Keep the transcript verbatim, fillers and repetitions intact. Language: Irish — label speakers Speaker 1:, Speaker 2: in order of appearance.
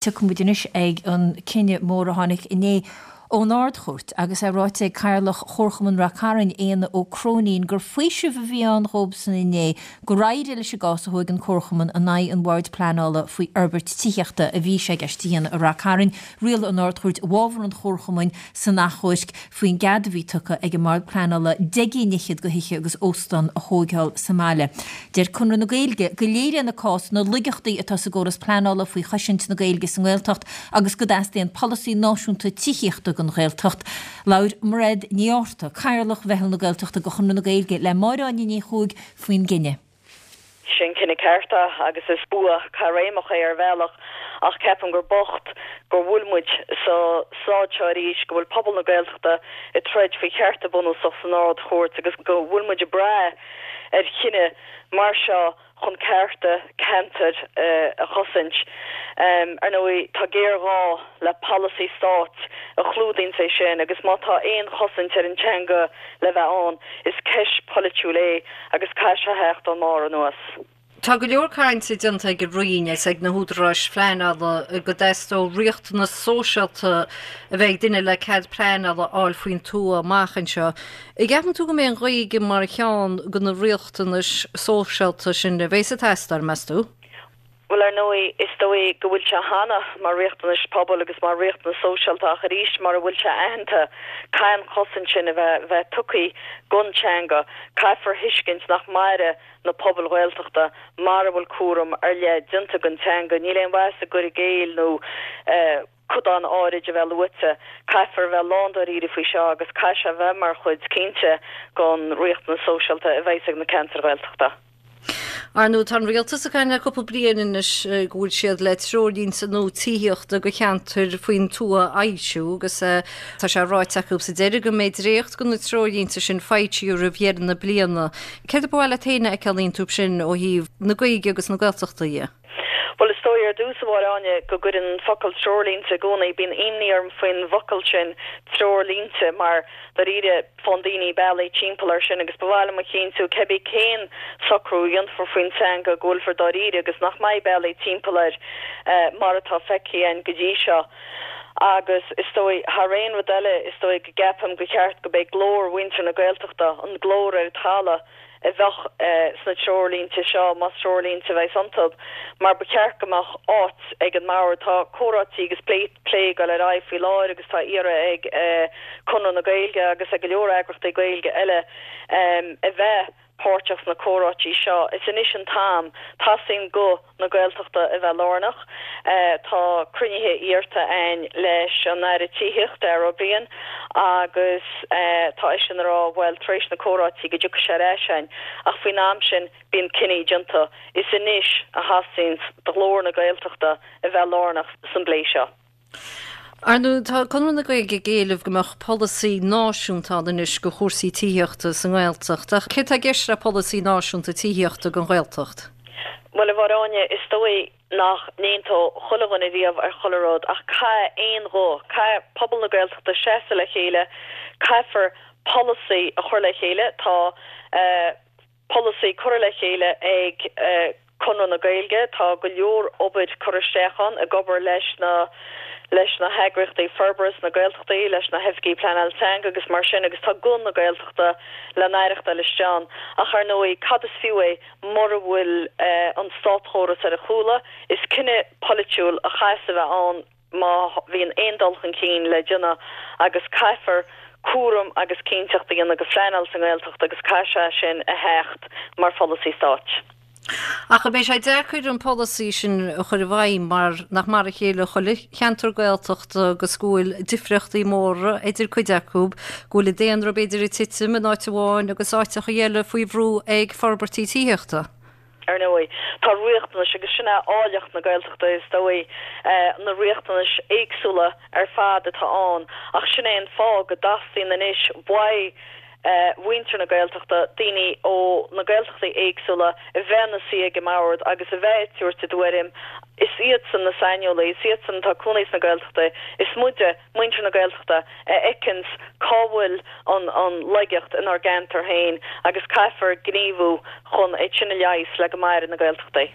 Speaker 1: Tiocfaidh muid anois ag an cinneadh mór a tháinig inné ón Ard-Chúirt agus é ráite ag Cathaoirleach Chomharchumann Ráth Cairn, Éanna Ó Cróinín, gur faoiseamh a bhí ann dhóibhsan inné gur éirigh leis an gcás a thóig an Comharchumann in aghaidh an Bhoird Pleanála faoi fhorbairt tithíochta a bhí sé i gceist a dhéanamh i Ráth Cairn. Rialaigh an Ard-Chúirt i bhfabhar an Chomharchumainn san achomharc faoin gcead a bhí tugtha ag an mBord Pleanála deich gcinn fhichead de thithe agus óstán a thóigeáil sa mbaile. Deir Conradh na Gaeilge go léiríonn an cás na laigeachtaí atá sa gcóras pleanála faoi chosaint na Gaeilge sa nGaeltacht agus go dteastaíonn polasaí náisiúnta tithíochta don Ghaeltacht. Labhair Mairéad Ní Fhátharta, Cathaoirleach Mheitheal na Gaeltachta de Chonradh na Gaeilge le Máire Áine Ní Chuaig faoin gcinneadh.
Speaker 2: Sin cinneadh ceart é agus is bua caithréimeach é ar bhealach ach ceapaim gur bocht go bhfuil muid sa staid seo arís, go bhfuil pobal na Gaeltachta ag troid faoi chearta bunúsach san Ard-Chúirt agus go bhfuil muid ag brath ar chinneadh mar seo chun cearta ceantair a chosaint. Ar ndóigh, tá géarghá le polasaí stáit a chlúdaíonn é sin agus má tá aon chosaint ar an teanga le bheith ann, is ceist pholaitiúil é agus caithfidh sé theacht ón mbarr anuas.
Speaker 3: Tá go leor cainte déanta ag an Roinn is ag na húdaráis phleanála go dteastódh riachtanas sóisialta a bheith ag duine le cead pleanála a fháil faoin tuath amach anseo. An gceapann tú go mbeidh an Ghaeilge mar cheann de na riachtanais sóisialta sin a bheas ag teastáil, meas tú?
Speaker 2: Bhuel, ar ndóigh, is dóigh go bhfuil sé cheana mar riachtanais pobail agus mar riachtanas sóisialta ach arís mura bhfuil sé aitheanta, caithfidh an chosaint sin a bheith bheith tugtha don teanga. Caithfear a thuiscint nach mairfidh na pobail Ghaeltachta mara bhfuil cúram ar leith déanta don teanga. Níl aon mhaitheas i gcur i gcéill nó codán áirid a bheith luaite. Caithfear a bheith lándáiríre faoi seo agus caithfidh sé a bheith mar chuid cinnte den riachtanas sóisialta a bheas ag na ceantair Ghaeltachta.
Speaker 3: Ar ndóigh, tá an rialtas ag caint le cúpla bliain anois go bhfuil siad le treoirlínte nua tithíochta do cheantair faoin tuath a fhoilsiú agus tá sé ráite acu sa deireadh go mbeidh dréacht de na treoirlínte sin foilsithe roimh dheireadh na bliana. Céard ba mhaith leat féin a fheiceáil iontu sin ó thaobh na Gaeilge agus na Gaeltachta dhe?
Speaker 2: Bhuel, is dóigh ar dtús, a Mháire Áine, go gcuireann an focal treoirlínte i gcónaí, bíonn imní orm faoin bhfocal sin, treoirlínte, mar dáiríre faigheann daoine bealaí timpeall air sin agus ba mhaith liom a chinntiú, cébí cén socrú a dhéanfar faoin teanga, go bhfuilfear dáiríre agus nach mbeidh bealaí timpeall air mar atá feicthe againn go dtí seo. Agus is dóigh, thar aon rud eile, is dóigh go gceapaim gur cheart go mbeidh glór mhuintir na Gaeltachta, an glór ar an talamh, a bheadh sna treoirlínte seo, más treoirlínte a bheas iontu, mar ba cheart go mbeadh áit ag an mbord. Tá comhráití agus plé ag dul ar aghaidh faoi láthair agus tá iarraidh ag Conradh na Gaeilge agus ag go leor eagraíochtaí Gaeilge eile a bheith páirteach sna comhráití seo. Is anois an t-am. Teastaíonn guth na Gaeltachta a bheith lárnach. Tá cruinnithe iarrta againn leis an Aire Tithíochta, Darragh O'Brien, agus tá eisean ag rá, bhuel, tar éis na comhráití go dtiocfaidh sé ar ais chugainn, ach faoin am sin bíonn cinní déanta. Is anois a theastaíonn do ghlór na Gaeltachta a bheith lárnach san bplé seo.
Speaker 3: Ar ndóigh, tá Conradh na Gaeilge ag éileamh go mbeadh polasaí náisiúnta ann anois do chúrsaí tithíochta sa nGaeltacht. Ach céard atá i gceist le polasaí náisiúnta tithíochta don Ghaeltacht?
Speaker 2: Bhuel, a Mháire Áine, is dóigh nach n-aontódh chuile dhuine riamh ar chuile rud ach caithfidh aon ghuth, caithfidh pobal na Gaeltachta seasamh le chéile, caithfear polasaí a chur le chéile. Tá polasaí curtha le chéile ag Conradh na Gaeilge, tá go leor obair curtha isteach ann, ag obair leis na leis na heagraíochtaí forbartha sna Gaeltachtaí, leis na hoifigigh pleanála teanga agus mar sin agus tá guth na Gaeltachta le n-aireachtáil istigh ann. Ach ar ndóigh, cad is fiú é mura bhfuil an státchóras ar a chúla? Is cinneadh polaitiúil a chaithfeas a bheith ann má bhíonn aon dul chun cinn le déanamh agus caithfear cúram agus cinnteacht a dhéanamh de phleanáil sa nGaeltacht agus caithfidh sé sin a theacht mar pholasaí stáit.
Speaker 3: Ach an mbeidh sé deacair an polasaí sin a chur i bhfeidhm mar nach mar a chéile chuile cheantar Gaeltachta agus go bhfuil difríochtaí móra idir cuid acu, go bhfuil an daonra b'fhéidir ag titim in áit amháin agus áiteacha eile faoi bhrú ag forbairtí tithíochta.
Speaker 2: Ar ndóigh, tá riachtanais, agus sin é áilleacht na Gaeltachta is dóigh, na riachtanais éagsúla ar fad atá ann, ach sin é an fáth go dteastaíonn anois uaidh mhuintir na Gaeltachta, daoine ó na Gaeltachtaí éagsúla a bheith ina suí ag an mbord agus a bheith ag tabhairt a dtuairim. Is iadsan na saineolaí, is iadsan atá ag cónaí sna Gaeltachtaí, is muide, muintir na Gaeltachta, a fheiceanns cá bhfuil an an laigeacht inár gceantar féin agus caithfear gníomhú chun é sin a leigheas le go mairfidh na Gaeltachtaí.